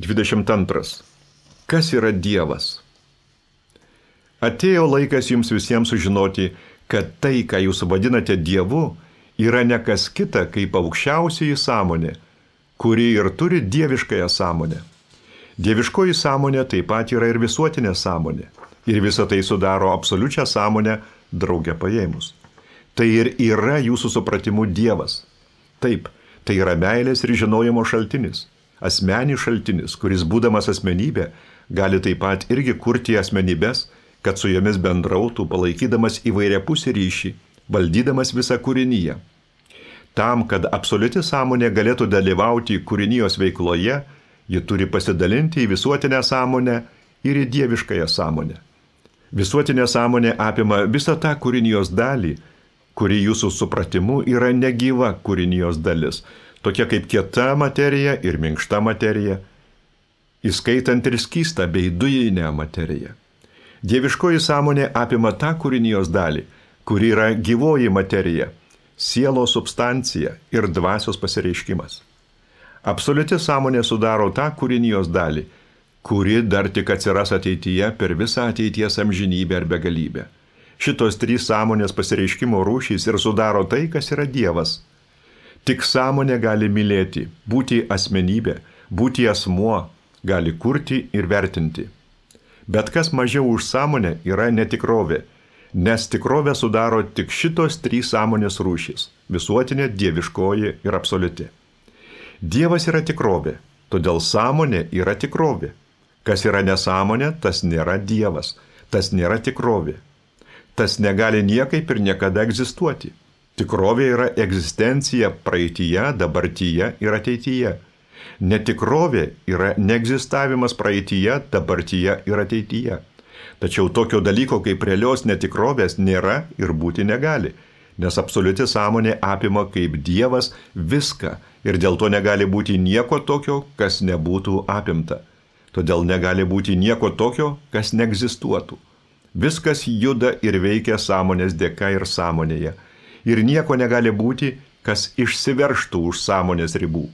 22. Kas yra Dievas? Atėjo laikas jums visiems sužinoti, kad tai, ką jūs vadinate Dievu, yra ne kas kita, kaip aukščiausioji sąmonė, kuri ir turi dieviškąją sąmonę. Dieviškoji sąmonė taip pat yra ir visuotinė sąmonė. Ir visa tai sudaro absoliučią sąmonę drauge paėmus. Tai ir yra jūsų supratimu Dievas. Taip, tai yra meilės ir žinojimo šaltinis. Asmenis šaltinis, kuris būdamas asmenybė, gali taip pat irgi kurti asmenybės, kad su jomis bendrautų, palaikydamas įvairiapusį ryšį, valdydamas visą kūrinyje. Tam, kad absoliuti sąmonė galėtų dalyvauti kūrinijos veikloje, ji turi pasidalinti į visuotinę sąmonę ir į dieviškąją sąmonę. Visuotinė sąmonė apima visą tą kūrinijos dalį, kuri jūsų supratimu yra negyva kūrinijos dalis, tokia kaip kieta materija ir minkšta materija, įskaitant ir skystą bei dujinę materiją. Dieviškoji sąmonė apima tą kūrinijos dalį, kuri yra gyvoji materija, sielos substancija ir dvasios pasireiškimas. Absoliuti sąmonė sudaro tą kūrinijos dalį, kuri dar tik atsiras ateityje per visą ateities amžinybę ir begalybę. Šitos trys sąmonės pasireiškimo rūšys ir sudaro tai, kas yra Dievas. Tik sąmonė gali mylėti, būti asmenybė, būti asmuo, gali kurti ir vertinti. Bet kas mažiau už sąmonę yra netikrovė, nes tikrovę sudaro tik šitos trys sąmonės rūšys – visuotinė, dieviškoji ir absoliuti. Dievas yra tikrovė, todėl sąmonė yra tikrovė. Kas yra nesąmonė, tas nėra Dievas, tas nėra tikrovė. Tas negali niekaip ir niekada egzistuoti. Tikrovė yra egzistencija praeityje, dabartyje ir ateityje. Netikrovė yra neegzistavimas praeityje, dabartyje ir ateityje. Tačiau tokio dalyko kaip realios netikrovės nėra ir būti negali, nes absoliuti sąmonė apima kaip Dievas viską ir dėl to negali būti nieko tokio, kas nebūtų apimta. Todėl negali būti nieko tokio, kas neegzistuotų. Viskas juda ir veikia sąmonės dėka ir sąmonėje. Ir nieko negali būti, kas išsiveržtų už sąmonės ribų.